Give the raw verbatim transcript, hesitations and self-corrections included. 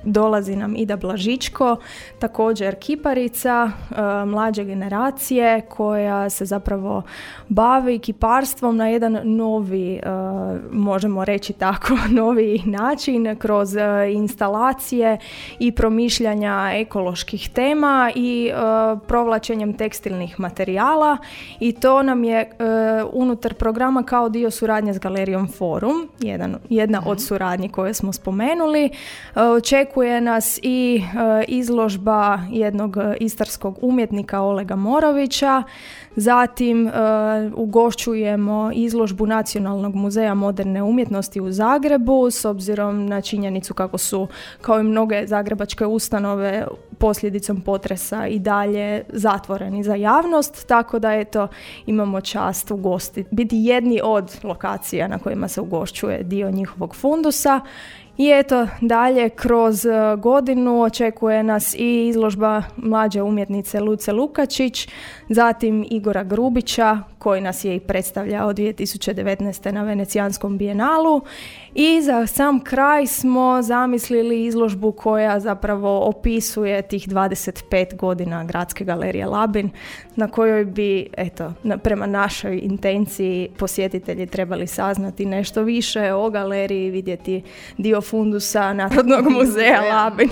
dolazi nam Ida Blažičko, također kiparica e, mlađe generacije koja se zapravo bavi kiparstvom na jedan novi, e, možemo reći tako, novi način kroz e, instalacije i promišljanja ekoloških tema i e, provlačenjem tekstilnih materijala, i to nam je e, unutar programa kao dio suradnje s Galerijom Forum, jedan, jedna od suradnji koje smo spomenuli. E, očekuje nas i e, izložba jednog istarskog umjetnika Olega Morovića, zatim e, ugošćujemo izložbu Nacionalnog muzeja moderne umjetnosti u Zagrebu, s obzirom na činjenicu kako su, kao i mnoge zagrebačke ustanove, posljedicom potresa i dalje zatvoreni za javnost, tako da eto imamo čast ugostiti, biti jedni od lokacija na kojima se ugošćuje dio njihovog fundusa. I eto, dalje kroz godinu očekuje nas i izložba mlađe umjetnice Luce Lukačić, zatim Igora Grubića, koji nas je i predstavljao dvije tisuće devetnaeste. na Venecijanskom bijenalu. I za sam kraj smo zamislili izložbu koja zapravo opisuje tih dvadeset pet godina Gradske galerije Labin, na kojoj bi, eto, na, prema našoj intenciji posjetitelji trebali saznati nešto više o galeriji, vidjeti dio fundusa Narodnog muzeja Labin.